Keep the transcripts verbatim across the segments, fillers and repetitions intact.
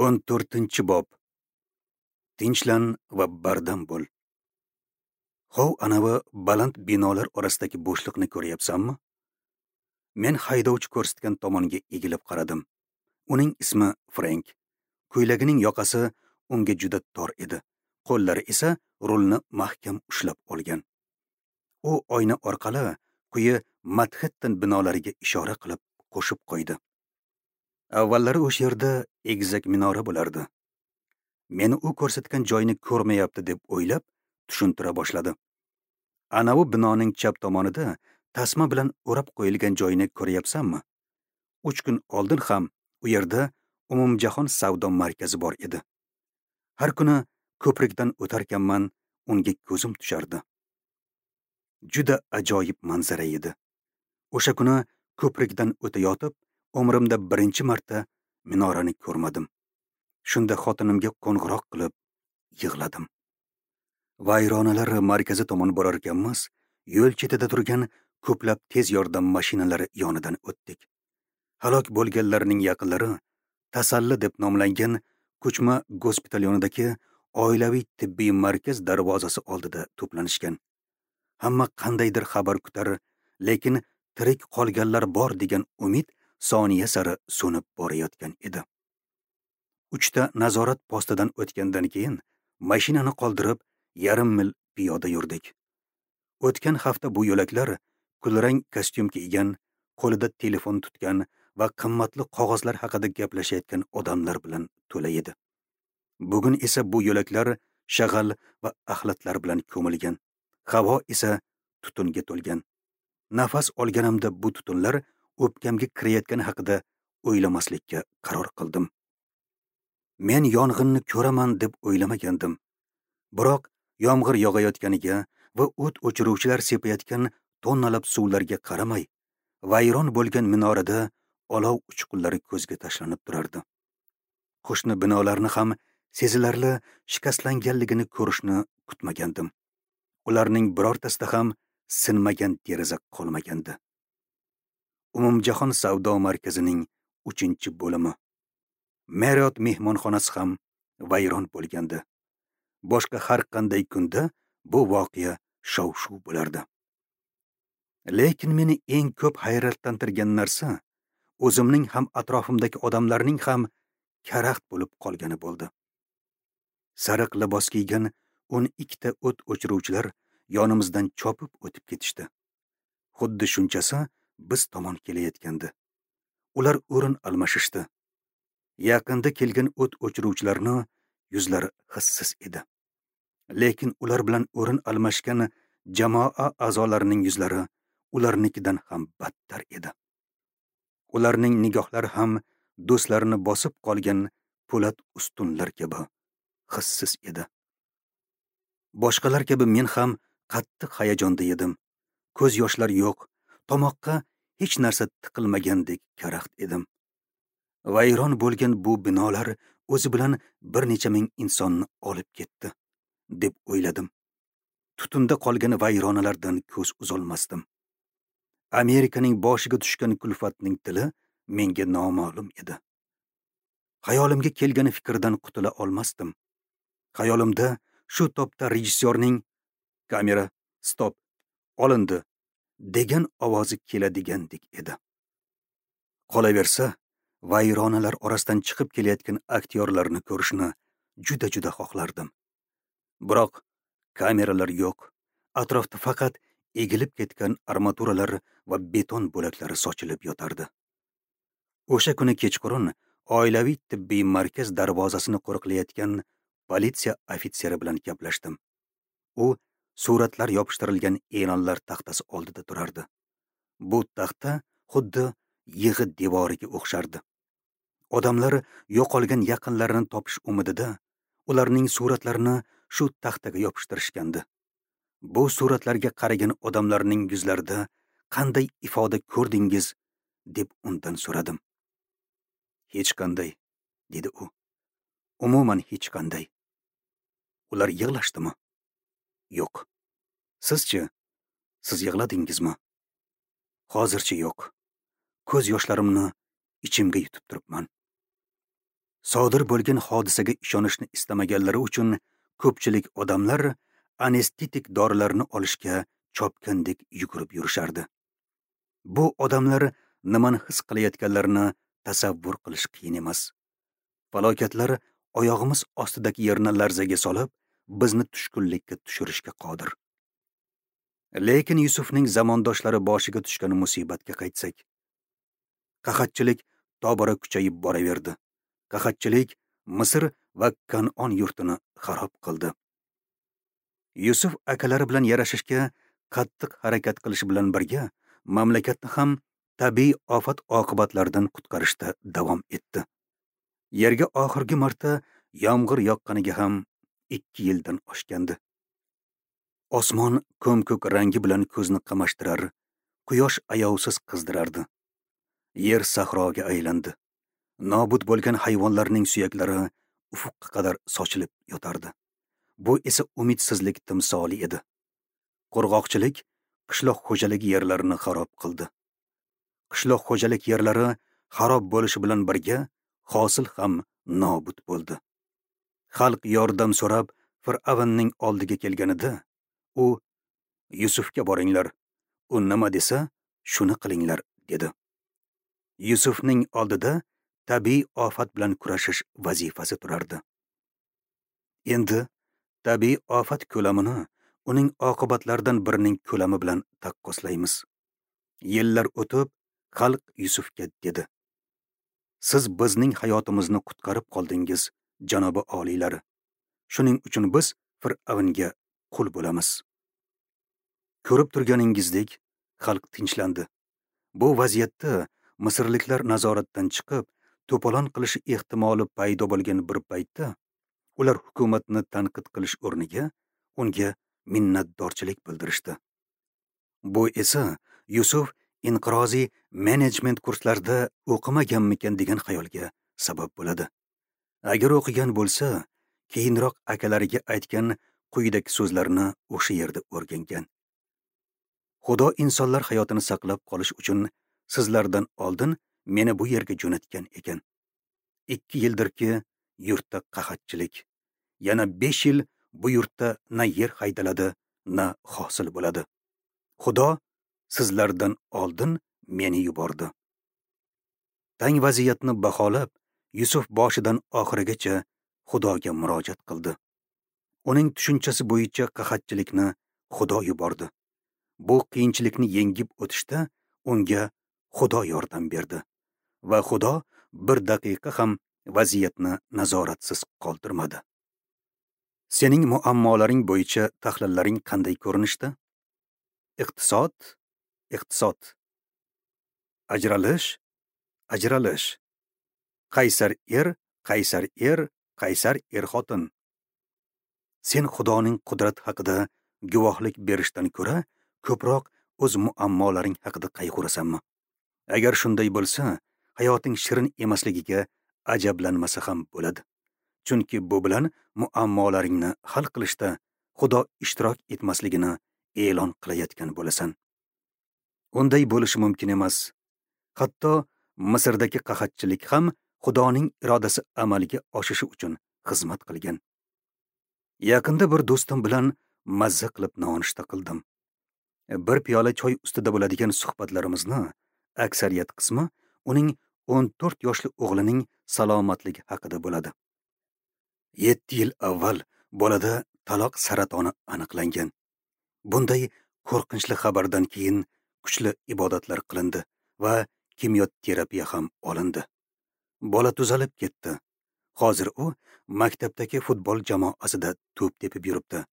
O'n to'rtinchi bob. Tinchlan va bardam bo'l. Hov anavi baland binolar orasidagi bo'shliqni ko'ryapsanmi? Men haydovchi ko'rsatgan tomonga egilib qaradim. Uning ismi Frank. Ko'ylagining yoqasi unga juda tor edi. Qo'llari esa rulni mahkam ushlab olgan. U oyna orqali quyi Manhattan binolariga ishora qilib qo'shib qo'ydi. Avvallari o'sha yerda egizak minora bo'lardi. Meni u ko'rsatgan joyni ko'rmayapti deb o'ylab tushuntira boshladi. Anavi binoning chap tomonida tasma bilan o'rab qo'yilgan joyni ko'ryapsanmi? Uch kun oldin ham u yerda umumjahon savdo markazi bor edi. Har kuni ko'prikdan o'tarkanman unga ko'zim tushardi. Juda ajoyib manzara edi. O'sha kuni ko'prikdan o'tayotib, umrimda birinchi marta minorani ko'rmadim. Shunda xotinimga qo'ng'iroq qilib yig'ladim. Vayronalar markazi tomon borar ekanmiz, yo'l chetida turgan ko'plab tez yordam mashinalari yonidan o'tdik. Halok bo'lganlarning yaqinlari Tasalli deb nomlangan ko'chma gospital yonidagi oilaviy tibbiy markaz darvozasi oldida to'planishgan. Hamma qandaydir xabar kutar, lekin tirik qolganlar bor degan umid soniya sari so'nib borayotgan edi. Uchta nazorat postidan o'tgandan keyin mashinani qoldirib yarim mil piyoda yurdik. O'tgan hafta bu yo'laklar kulrang kostyum kiygan, qo'lida telefon tutgan va qimmatli qog'ozlar haqida gaplashayotgan odamlar bilan to'la edi. Bugun esa bu yo'laklar shag'al va axlatlar bilan ko'milgan. Havo esa tutunga to'lgan. Nafas olganimda bu tutunlar o'pkamga kirayotgani haqida o'ylamaslikka qaror qildim. Men yong'inni ko'raman deb o'ylamagandim. Biroq yomg'ir yog'ayotganiga va o't o'chiruvchilar sepayotgan tonnalab suvlarga qaramay, vayron bo'lgan minorada olov uchqunlari ko'zga tashlanib turardi. Qo'shni binolarni ham sezilarli shikastlanganligini ko'rishni kutmagandim. Ularning birortasida ham sinmagan deraza qolmagandi. Umumjahon savdo markazining uchinchi bo'limi. Marriott mehmonxonasi ham vayron bo'lgandi. Boshqa har qanday kunda bu voqea shov-shuv bo'lardi. Lekin meni eng ko'p hayratlantirgan narsa o'zimning ham atrofimdagi odamlarning ham karaxt bo'lib qolgani bo'ldi. Sariq libos kiygan o'n ikkita o't o'chiruvchilar yonimizdan chopib o'tib ketishdi. Xuddi shunchasi biz tomon kelayotgandi. Ular o'rin almashishdi. Yaqinda kelgan o't o'chiruvchilarni yuzlari hissiz edi. Lekin ular bilan o'rin almashgan jamoa a'zolarining yuzlari ularnikidan ham battar edi. Ularning nigohlari ham do'stlarini bosib qolgan po'lat ustunlar kabi hissiz edi. Boshqalar kabi men ham qattiq hayajonda edim. Ko'z yoshlar yo'q, tomoqqa hech narsa tiqilmagandek karaxt edim. Vayron bo'lgan bu binolar o'zi bilan bir necha ming insonni olib ketdi, deb o'yladim. Tutunda qolgan vayronalardan ko'z uzolmasdim. Amerikaning boshiga tushgan kulfatning tili menga noma'lum edi. Xayolimga kelgan fikrdan qutula olmasdim. Xayolimda shu topda rejissyorning kamera stop olindi degan ovozi keladigandek edi. Qolaversa, vayronalar orasidan chiqib kelayotgan aktyorlarni ko'rishni juda-juda xohlardim. Biroq kameralar yo'q. Atrofda faqat egilib ketgan armaturalar va beton bo'laklari sochilib yotardi. O'sha kuni kechqurun oilaviy tibbiy markaz darvozasini qo'riqlayotgan politsiya ofitseri bilan gaplashdim. U suratlar yopishtirilgan e'lonlar taxtasi oldida turardi. Bu taxta xuddi yig'i devoriga o'xshardi. Odamlar yo'qolgan yaqinlarini topish umidida ularning suratlarini shu taxtaga yopishtirishgandi. Bu suratlarga qaragan odamlarning yuzlarida qanday ifoda ko'rdingiz deb undan so'radim. Hech qanday, dedi u. Umuman hech qanday. Ular yig'lashdimi? Yo'q. Sizchi? Siz yig'ladingizmi? Hozircha yo'q. Ko'z yoshlarimni ichimga yutib turibman. Sodir bo'lgan hodisaga ishonishni istamaganlari uchun ko'pchilik odamlar anestetik dorilarni olishga chopgandek yugurib yurishardi. Bu odamlar nimani his qilayotganlarini tasavvur qilish qiyin emas. Falokatlar oyog'imiz ostidagi yerni larzaga solib, bizni tushkunlikka tushirishga qodir. Lekin Yusufning zamondoshlari boshiga tushgan musibatga qaytsak, qahatchilik tobora kuchayib boraverdi. Qahatchilik Misr va Kan'on yurtini xarob qildi. Yusuf akalari bilan yarashishga qattiq harakat qilish bilan birga mamlakatni ham tabiiy ofat oqibatlaridan qutqarishda davom etdi. Yerga oxirgi marta yomg'ir yoqqaniga ham ikki yildan oshgandi. Osmon ko'm-ko'k rangi bilan ko'zni qamashtirar, quyosh ayovsiz qizdirardi. Yer sahroga aylandi. Nobud bo'lgan hayvonlarning suyaklari ufuqqa qadar sochilib yotardi. Bu esa umidsizlik timsoli edi. Qurg'oqchilik qishloq xo'jaligi yerlarini xarob qildi. Qishloq xo'jalik yerlari xarob bo'lishi bilan birga hosil ham nobud bo'ldi. Xalq yordam so'rab Fir'avnning oldiga kelganida, u Yusufga boringlar, u nima desa shuni qilinglar dedi. Yusufning oldida tabiiy ofat bilan kurashish vazifasi turardi. Endi tabiiy ofat ko'lamini uning oqibatlaridan birining ko'lami bilan taqqoslaymiz. Yillar o'tib, xalq Yusufga dedi: "Siz bizning hayotimizni qutqarib qoldingiz, janobi oliylari. Shuning uchun biz Fir'avnga qul bo'lamiz." Ko'rib turganingizdek, xalq tinchlandi. Bu vaziyatda misrliklar nazoratdan chiqib, to'polon qilish ehtimoli paydo bo'lgan bir paytda ular hukumatni tanqid qilish o'rniga unga minnatdorchilik bildirishdi. Bu esa Yusuf inqiroziy menejment kurslarida o'qimaganmikan degan xayolga sabab bo'ladi. Agar o'qigan bo'lsa, keyinroq akalariga aytgan quyidagi so'zlarni o'sha yerda o'rgangan. Xudo insonlar hayotini saqlab qolish uchun sizlardan oldin meni bu yerga jo'natgan ekan. Ikki yildirki yurtda qahatchilik. Yana besh yil bu yurtda na yer haydaladi, na hosil bo'ladi. Xudo sizlardan oldin meni yubordi. Tang vaziyatni baholab, Yusuf boshidan oxirigacha Xudoga murojaat qildi. Uning tushunchasi bo'yicha qahatchilikni Xudo yubordi. Bu qiyinchilikni yengib o'tishda unga Xudo yordam berdi va Xudo bir daqiqa ham vaziyatni nazoratsiz qoldirmadi. Sening muammolaring bo'yicha tahlillaring qanday ko'rinishda? Iqtisod, iqtisod. Ajralish, ajralish. Qaysar er, qaysar er, qaysar er xotin. Sen Xudoning qudrati haqida guvohlik berishdan ko'ra ko'proq o'z muammolaring haqida qayg'urasanmi? Agar shunday bo'lsa, hayoting shirin emasligiga ajablanmasa ham bo'ladi. Chunki bu bilan muammolaringni hal qilishda Xudo ishtirok etmasligini e'lon qilayotgan bo'lasan. Unday bo'lishi mumkin emas. Hatto Misrdagi qahatchilik ham Xudoning irodasi amalga oshishi uchun xizmat qilgan. Yaqinda bir do'stim bilan mazza qilib nonushta qildim. Bir piyola choy ustida bo'ladigan suhbatlarimizni aksariyat qismi uning o'n to'rt yoshli o'g'lining salomatligi haqida bo'ladi. Yetti yil avval bolada taloq saratoni aniqlangan. Bunday qo'rqinchli xabardan keyin kuchli ibodatlar qilindi va kimyoterapiya ham olindi. Bola tuzalib ketdi. Hozir u maktabdagi futbol jamoasida to'p tepib yuribdi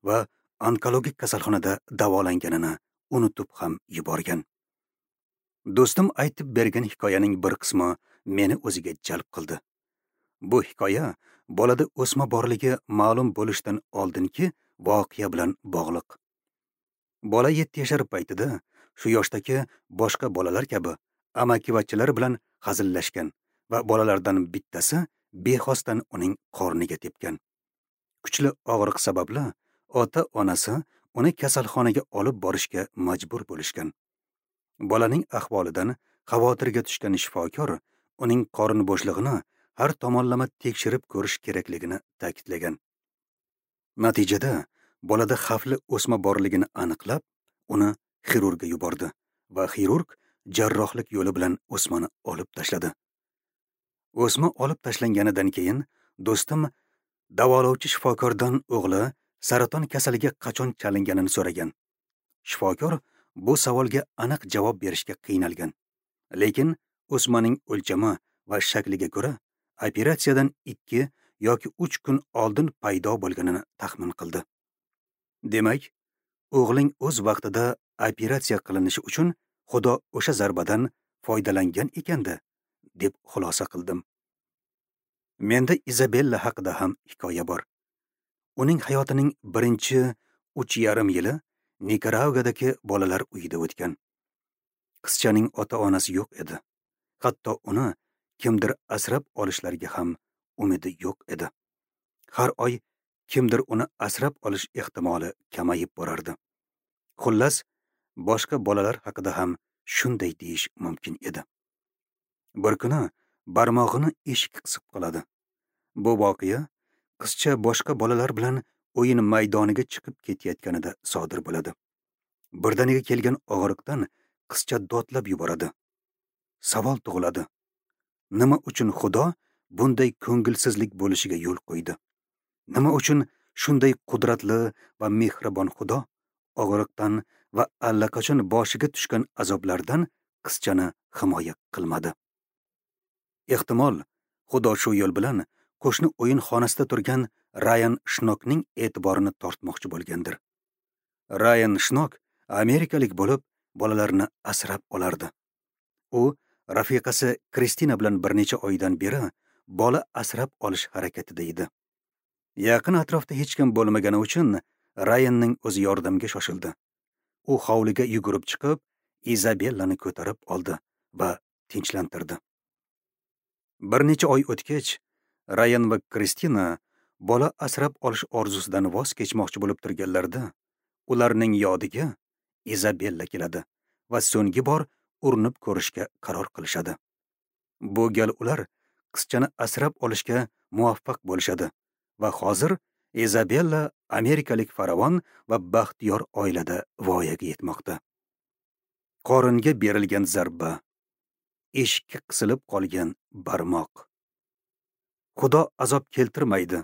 va onkologik kasalxonada davolanganini unutib ham yuborgan. Do'stim aytib bergan hikoyaning bir qismi meni o'ziga jalb qildi. Bu hikoya bolada o'sma borligi ma'lum bo'lishidan oldingi voqea bilan bog'liq. Bola yetti yashar paytida shu yoshdagi boshqa bolalar kabi amakivachilar bilan hazillashgan va bolalardan bittasi bexosdan uning qorniga tepgan. Kuchli og'riq sababli ota-onasi uni kasalxonaga olib borishga majbur bo'lishgan. Bolaning ahvolidan xavotirga tushgan shifokor uning qorin bo'shlig'ini har tomonlama tekshirib ko'rish kerakligini ta'kidlagan. Natijada bolada xavfli o'sma borligini aniqlab, uni xirurgga yubordi va xirurg jarrohlik yo'li bilan o'smani olib tashladi. O'sma olib tashlanganidan keyin do'stim davolovchi shifokordan o'g'li saraton kasaliga qachon chalinganini so'ragan. Shifokor bu savolga aniq javob berishga qiynalgan. Lekin o'smaning o'lchami va shakliga ko'ra operatsiyadan ikki yoki uch kun oldin paydo bo'lganini taxmin qildi. Demak, o'g'ling o'z vaqtida operatsiya qilinishi uchun Xudo o'sha zarbadan foydalangan ekanda, deb xulosa qildim. Menda Izabella haqida ham hikoya bor. Uning hayotining birinchi uch yarim yili Nikaraguadagi bolalar uyida o'tgan. Qizchaning ota-onasi yo'q edi. Hatto uni kimdir asrab olishlariga ham umidi yo'q edi. Har oy kimdir uni asrab olish ehtimoli kamayib borardi. Xullas, boshqa bolalar haqida ham shunday deyish mumkin edi. Bir kuni barmog'ini eshik qisib qoladi. Bu voqea qizcha boshqa bolalar bilan o'yin maydoniga chiqib ketayotganida sodir bo'ladi. Birdaniga kelgan og'riqdan qizcha dodlab yuboradi. Savol tug'iladi. Nima uchun Xudo bunday ko'ngilsizlik bo'lishiga yo'l qo'ydi? Nima uchun shunday qudratli va mehribon Xudo og'riqdan va allaqachon boshiga tushgan azoblardan qizchani himoya qilmadi? Ehtimol, Xudo shu yo'l bilan qo'shni o'yinxonasida turgan Rayan Shnokning e'tiborini tortmoqchi bo'lgandir. Rayan Shnok amerikalik bo'lib, bolalarni asrab olardi. U rafiqasi Kristina bilan bir necha oydan beri bola asrab olish harakatida edi. Yaqin atrofda hech kim bo'lmagani uchun Rayanning o'zi yordamga shoshildi. U hovliga yugurib chiqib, Izabellani ko'tarib oldi va tinchlantirdi. Bir necha oy o'tgach, Rayan va Kristina bola asrab olish orzusidan voz kechmoqchi bo'lib turganlarida, ularning yodiga Izabella keladi va so'nggi bor urinib ko'rishga qaror qilishadi. Bu gal ular qizchani asrab olishga muvaffaq bo'lishadi va hozir Izabella amerikalik farovon va baxtiyor oilada voyaga yetmoqda. Qoringa berilgan zarba, eshikka qisilib qolgan barmoq. Xudo azob keltirmaydi,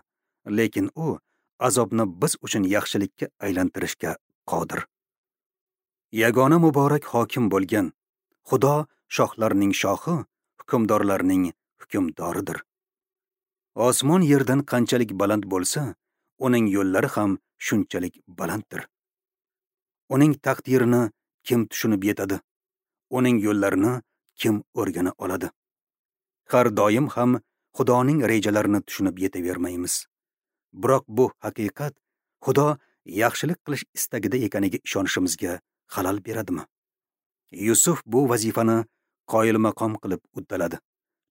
lekin u azobni biz uchun yaxshilikka aylantirishga qodir. Yagona muborak hokim bo'lgan Xudo shohlarning shohi, hukmdorlarning hukmdoridir. Osmon yerdan qanchalik baland bo'lsa, uning yo'llari ham shunchalik balanddir. Uning taqdirini kim tushunib yetadi? Uning yo'llarini kim o'rgana oladi? Har doim ham Xudoning rejalarini tushunib yetavermaymiz. Biroq bu haqiqat Xudo yaxshilik qilish istagida ekaniga ishonishimizga xalal beradimi? Yusuf bu vazifani qoyilmaqom qilib uddaladi.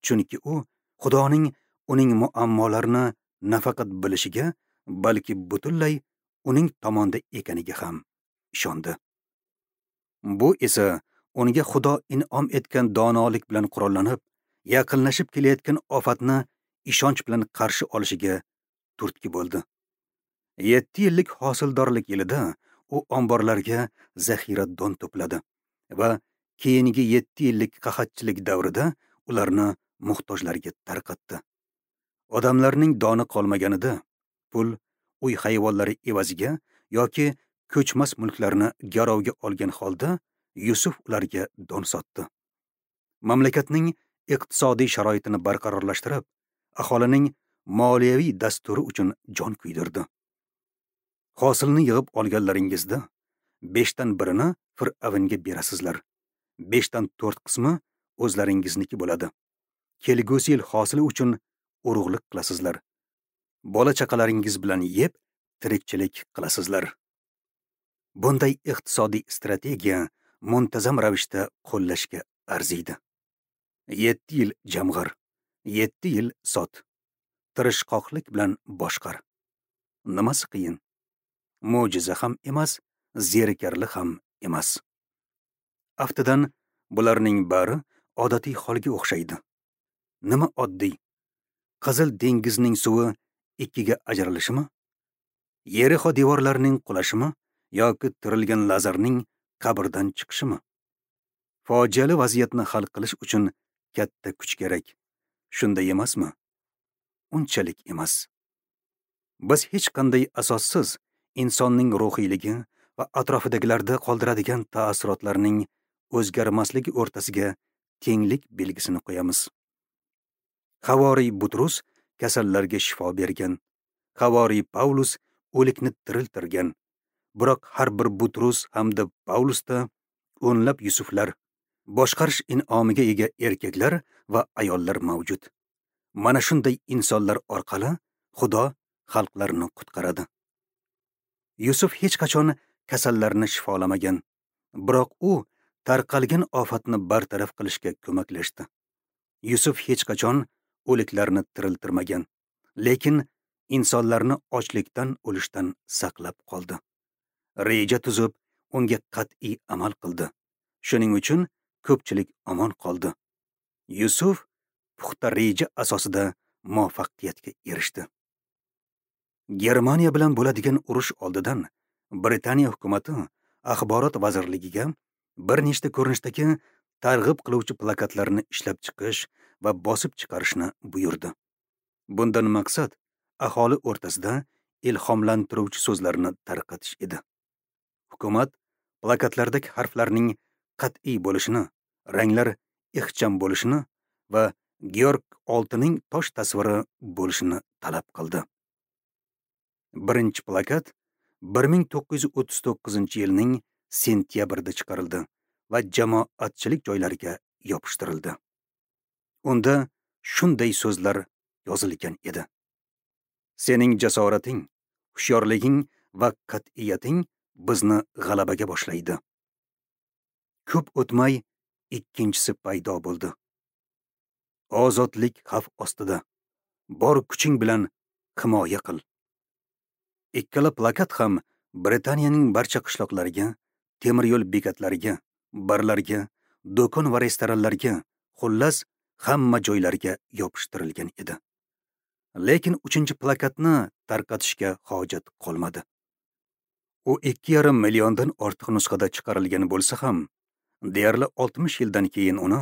Chunki u Xudoning uning muammolarini nafaqat bilishiga, balki butunlay uning tomonda ekaniga ham ishondi. Bu esa unga Xudo in'om etgan donolik bilan qurollanib, yaqinlashib kelayotgan ofatni ishonch bilan qarshi olishiga turtki bo'ldi. Yetti yillik hosildorlik yilida u omborlarga zaxira don to'pladi va keyingi yetti yillik qahatchilik davrida ularni muhtojlarga tarqatdi. Odamlarning doni qolmaganida pul, uy hayvonlari evaziga yoki ko'chmas mulklarni garovga olgan holda Yusuf ularga don sotdi. Mamlakatning iqtisodiy sharoitini barqarorlashtirib, aholining moliyaviy dasturi uchun jon kuydirdi. Hosilni yig'ib olganlaringizda beshdan birini Fir'avnga berasizlar. Beshdan to'rt qismi o'zlaringizniki bo'ladi. Kelgusi yil hosili uchun urug'lik qilasizlar. Bola chaqalaringiz bilan yeb, tirikchilik qilasizlar. Bunday iqtisodiy strategiya muntazam ravishda qo'llashga arziydi. Yetti yil jamg'ar, yetti yil sot. Tirishqoqlik bilan boshqar. Nimasi qiyin? Mo'jiza ham emas, zerikarli ham emas. Aftidan bularning bari odatiy holga o'xshaydi. Nima oddiy? Qizil dengizning suvi ikkiga ajralishimi? Yerixo devorlarining qulashimi yoki tirilgan Lazarning qabrdan chiqishimi? Fojiali vaziyatni hal qilish uchun katta kuch kerak. Shunday emasmi? Unchalik emas. Biz hech qanday asossiz insonning ruhiyligi va atrofidagilarda qoldiradigan taassurotlarning o'zgarmasligi o'rtasiga tenglik belgisini qo'yamiz. Havoriy Butrus kasallarga shifo bergan. Havoriy Pavlus o'likni tiriltirgan. Biroq har bir Butrus hamda Pavlusda o'nlab Yusuflar, boshqarish in'omiga ega erkaklar va ayollar mavjud. Mana shunday insonlar orqali Xudo xalqlarni qutqaradi. Yusuf hech qachon kasallarni shifolamagan, biroq u tarqalgan ofatni bartaraf qilishga ko'maklashdi. Yusuf hech qachon o'liklarni tiriltirmagan, lekin insonlarni ochlikdan o'lishdan saqlab qoldi. Reja tuzib, unga qat'iy amal qildi. Shuning uchun ko'pchilik omon qoldi. Yusuf puxta reja asosida muvaffaqiyatga erishdi. Germaniya bilan bo'ladigan urush oldidan Britaniya hukumati axborot vazirligiga bir nechta ko'rinishdagi targ'ib qiluvchi plakatlarni ishlab chiqish va bosib chiqarishni buyurdi. Bundan maqsad aholi o'rtasida ilhomlantiruvchi so'zlarni tarqatish edi. Hukumat plakatlardagi harflarning qat'iy bo'lishini, ranglar ixcham bo'lishini va Georg oltining tosh tasviri bo'lishini talab qildi. Birinchi plakat bir ming to'qqiz yuz o'ttiz to'qqizinchi yilning sentyabrida chiqarildi va jamoatchilik joylariga yopishtirildi. Unda shunday so'zlar yozilgan edi: Sening jasorating, hushyorliging va qat'iyating bizni g'alabaga boshlaydi. Ko'p o'tmay ikkinchisi paydo bo'ldi. Ozodlik xavf ostida. Bor kuching bilan himoya qil. Ikkala plakat ham Britaniyaning barcha qishloqlariga, temir yo'l bekatlariga, barlarga, do'kon va restoranlarga, xullas hamma joylarga yopishtirilgan edi. Lekin uchinchi plakatni tarqatishga hojat qolmadi. U ikki yarim milliondan ortiq nusxada chiqarilgan bo'lsa ham, deyarli oltmish yildan keyin uni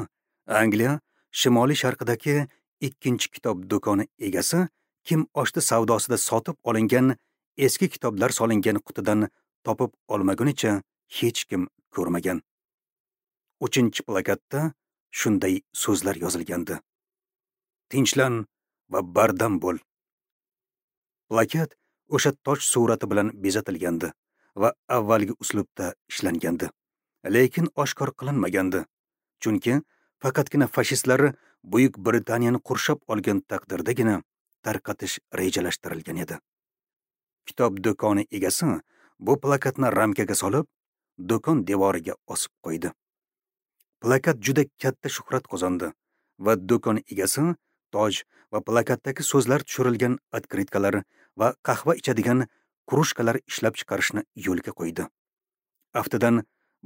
Angliya shimoliy sharqidagi ikkinchi kitob do'koni egasi kim ochdi savdosida sotib olingan eski kitoblar solingan qutidan topib olmagunicha hech kim ko'rmagan. Uchinchi plakatda shunday so'zlar yozilgandi: Tinchlan va bardam bo'l. Plakat o'sha toch surati bilan bezatilgandi va avvalgi uslubda ishlangandi, lekin oshkor qilinmagandi, chunki faqatgina fashistlar Buyuk Britaniyani qurshab olgan taqdirdagina tarqatish rejalashtirilgan edi. Kitob do'koni egasi bu plakatni ramkaga solib, do'kon devoriga osib qo'ydi. Plakat juda katta shuhrat qozondi va do'kon egasi toj va plakatdagi so'zlar tushirilgan otkritkalar va qahva ichadigan krujkalar ishlab chiqarishni yo'lga qo'ydi. Aftidan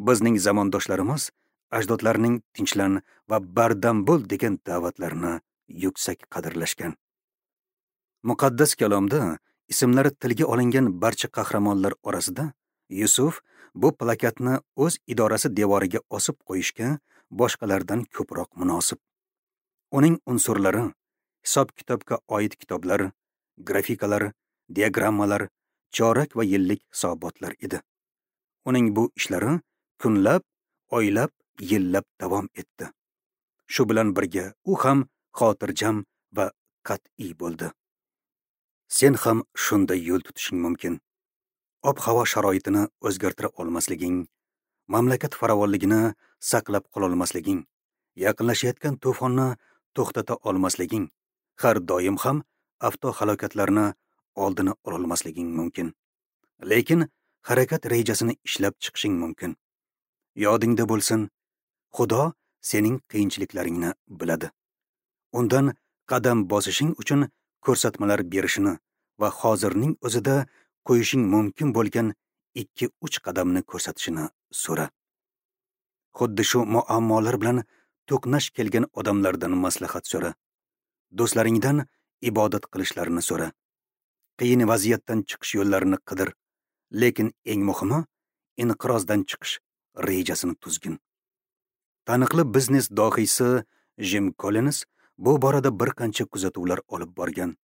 bizning zamondoshlarimiz ajdodlarning tinchlan va bardam bo'l degan da'vatlarini yuksak qadrlashgan. Muqaddas kalomda ismlari tilga olingan barcha qahramonlar orasida Yusuf bu plakatni o'z idorasi devoriga osib qo'yishga boshqalardan ko'proq munosib. Uning unsurlari hisob-kitobga oid kitoblar, grafikalar, diagrammalar, chorak va yillik hisobotlar edi. Uning bu ishlari kunlab, oylab, yillab davom etdi. Shu bilan birga u ham xotirjam va qat'iy bo'ldi. Sen ham shunday yo'l tutishing mumkin. Ob-havo sharoitini o'zgartira olmasliging, mamlakat farovonligini saqlab qola olmasliging, yaqinlashayotgan to'fonni to'xtata olmasliging, har doim ham avtohalokatlarni oldini ola olmasliging mumkin. Lekin harakat rejasini ishlab chiqishing mumkin. Yodingda bo'lsin, Xudo sening qiyinchiliklaringni biladi. Undan qadam bosishing uchun ko'rsatmalar berishini va hozirning o'zida qo'yishing mumkin bo'lgan ikki uch qadamni ko'rsatishini so'ra. Xuddi shu muammolar bilan to'qnash kelgan odamlardan maslahat so'ra. Do'stlaringdan ibodat qilishlarini so'ra. Qiyin vaziyatdan chiqish yo'llarini qidir, lekin eng muhimi inqirozdan chiqish rejasini tuzgin. Taniqli biznes dohiysi Jim Collins bu borada bir qancha kuzatuvlar olib borgan.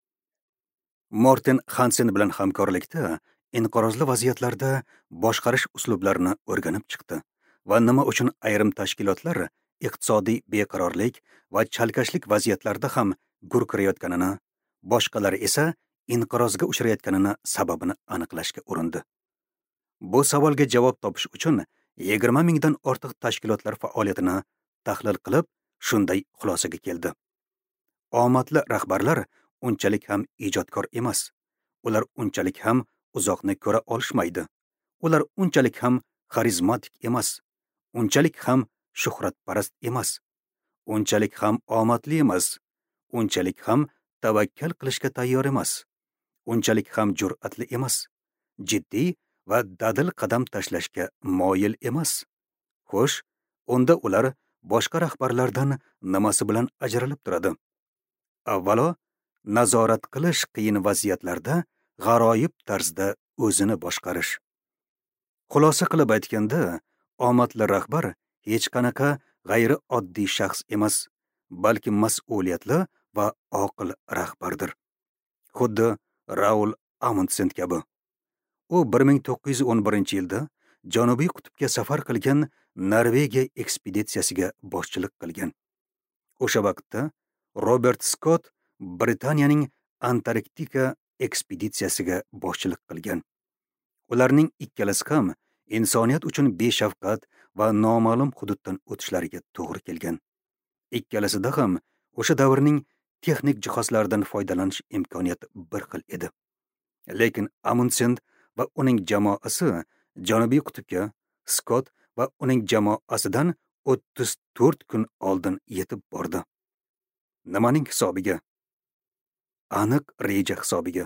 Morten Hansen bilan hamkorlikda inqirozli vaziyatlarda boshqarish uslublarini o'rganib chiqdi va nima uchun ayrim tashkilotlar iqtisodiy beqarorlik va chalkashlik vaziyatlarda ham gurkirayotganini, boshqalari esa inqirozga uchrayotganini sababini aniqlashga urindi. Bu savolga javob topish uchun yigirma mingdan ortiq tashkilotlar faoliyatini tahlil qilib, shunday xulosaga keldi. Omadli rahbarlar unchalik ham ijodkor emas. Ular unchalik ham uzoqni ko'ra olishmaydi. Ular unchalik ham xarizmatik emas. Unchalik ham shuhratparast emas. Unchalik ham omadli emas. Unchalik ham tavakkal qilishga tayyor emas. Unchalik ham jur'atli emas. Jiddiy va dadil qadam tashlashga moyil emas. Xo'sh, unda ular boshqa rahbarlardan nimasi bilan ajralib turadi? Avvalo, nazorat qilish qiyin vaziyatlarda g'aroyib tarzda o'zini boshqarish. Xulosa qilib aytganda, omadli rahbar hech qanaqa g'ayrioddiy shaxs emas, balki mas'uliyatli va oqil rahbardir. Xuddi Raul Amundsen kabi. U bir ming to'qqiz yuz o'n birinchi yilda Janubiy qutbga safar qilgan Norvegiya ekspeditsiyasiga boshchilik qilgan. O'sha vaqtda Robert Scott Britaniyaning Antarktika ekspeditsiyasiga boshchilik qilgan. Ularning ikkalasi ham insoniyat uchun beshafqat va noma'lum hududdan o'tishlariga to'g'ri kelgan. Ikkalasida ham o'sha davrning texnik jihozlaridan foydalanish imkoniyati bir xil edi. Lekin Amundsen va uning jamoasi Janubiy qutbga Scott va uning jamoasidan o'ttiz to'rt kun oldin yetib bordi. Nimaning hisobiga? Aniq reja hisobiga.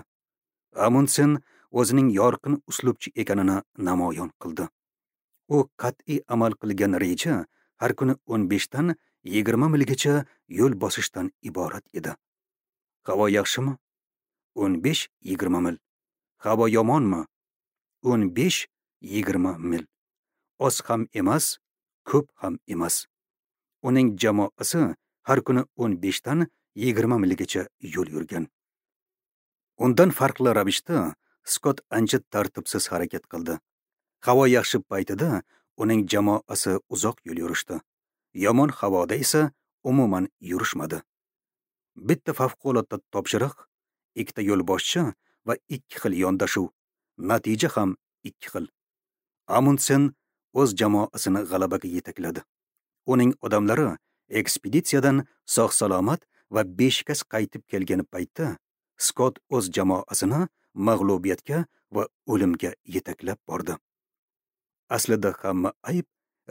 Amundsen o'zining yorqin uslubchi ekanini namoyon qildi. U qat'iy amal qilgan reja har kuni o'n beshdan yigirma milgacha yo'l bosishdan iborat edi. Havo yaxshimi? o'n besh yigirma mil. Havo yomonmi? o'n besh yigirma mil. Oz ham emas, ko'p ham emas. Uning jamoasi har kuni o'n beshdan yigirma milgacha yo'l yurgan. Undan farqli ravishda Scott ancha tartibsiz harakat qildi. Havo yaxshi paytida uning jamoasi uzoq yo'l yurishdi. Yomon havoda esa umuman yurishmadi. Bitta favqulodda topshiriq, ikkita yo'lboshchi va ikki xil yondashuv. Natija ham ikki xil. Amundsen o'z jamoasini g'alabaga yetakladi. Uning odamlari ekspeditsiyadan sog'-salomat va beshikast qaytib kelgan paytda Scott o'z jamoasini mag'lubiyatga va o'limga yetaklab bordi. Aslida hamma ayb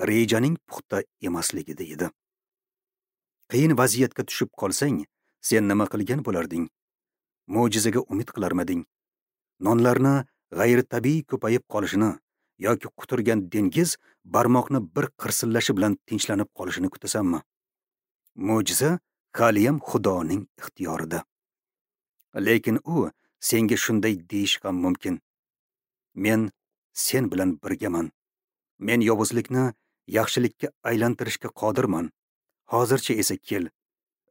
rejaning puxta emasligida edi. Qiyin vaziyatga tushib qolsang, sen nima qilgan bo'larding? Mo'jizaga umid qilarmiding? Nonlarni g'ayritabiiy ko'payib qolishini yoki quturgan dengiz barmoqni bir qirsillashi bilan tinchlanib qolishini kutasanmi? Mo'jiza haliyam Xudoning ixtiyorida. Lekin u senga shunday deyish ham mumkin: Men sen bilan birgaman. Men yovuzlikni yaxshilikka aylantirishga qodirman. Hozircha esa kel,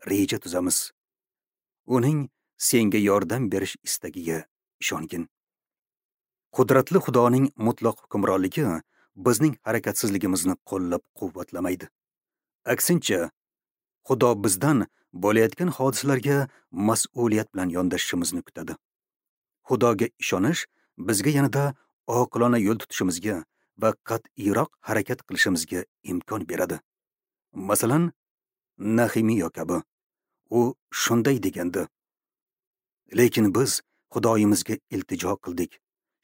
reja tuzamiz. Uning senga yordam berish istagiga ishongin. Qudratli Xudoning mutlaq hukmronligi bizning harakatsizligimizni qo'llab-quvvatlamaydi. Aksincha, Xudo bizdan bo'layotgan hodisalarga mas'uliyat bilan yondashishimizni kutadi. Xudoga ishonish bizga yanada oqilona yo'l tutishimizga va qat'iyroq harakat qilishimizga imkon beradi. Masalan, Nahimiya kabi. U shunday degandi: Lekin biz Xudoyimizga iltijo qildik.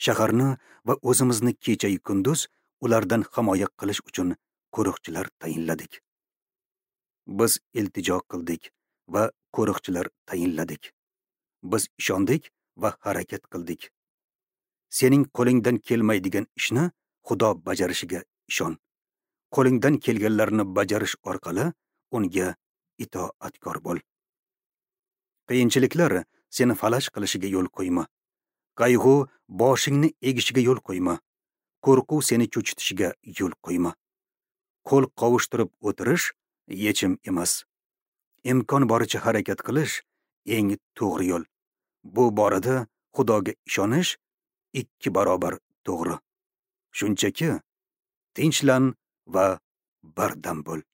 Shaharni va o'zimizni kecha-yu kunduz ulardan himoya qilish uchun qo'riqchilar tayinladik. Biz iltijo qildik va qo'riqchilar tayinladik. Biz ishondik va harakat qildik. Sening qo'lingdan kelmaydigan ishni Xudo bajarishiga ishon. Qo'lingdan kelganlarni bajarish orqali unga itoatkor bo'l. Qiyinchiliklar seni falaj qilishiga yo'l qo'yma. Qayg'u boshingni egishiga yo'l qo'yma. Qo'rquv seni cho'chitishiga yo'l qo'yma. Qo'l qovushtirib o'tirish yechim emas. Imkon boricha harakat qilish eng to'g'ri yo'l. Bu borada Xudoga ishonish ikki barobar to'g'ri. Shunchaki tinchlan va bardam bo'l.